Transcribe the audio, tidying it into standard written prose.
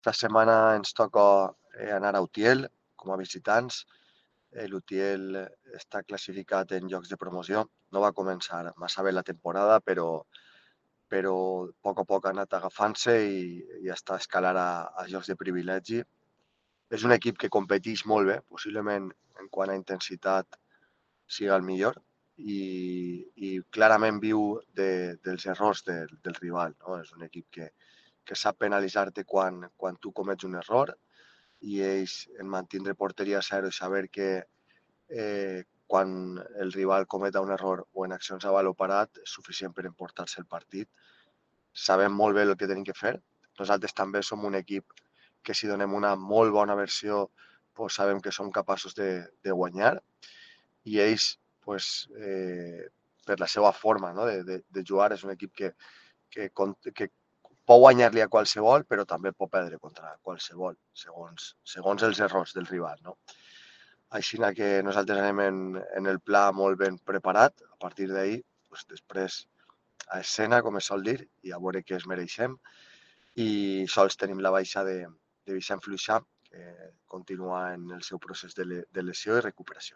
Esta setmana ens toca anar a Utiel com a visitants. L'Utiel està classificat en llocs de promoció. No va començar massa bé la temporada, però a poc ha anat agafant-se i està escalant a llocs de privilegi. És un equip que competeix molt bé, possiblement en quant a intensitat siga el millor i clarament viu dels errors del rival. No? És un equip que sap penalitzar-te quan tu comets un error i ells en mantindre porteria a zero i saber que quan el rival cometa un error o en accions a valor parat és suficient per emportar-se el partit. Sabem molt bé el que tenim que fer. Nosaltres també som un equip que si donem una molt bona versió pues sabem que som capaços de guanyar i ells pues, per la seva forma no? de jugar és un equip que pot guanyar-li a qualsevol, però també pot perdre contra qualsevol, segons els errors del rival. No? Així que nosaltres anem en el pla molt ben preparat, a partir d'ahir, pues, després a escena, com es sol dir, i a veure què es mereixem. I sols tenim la baixa de Vicent Fluixà, que continua en el seu procés de lesió i recuperació.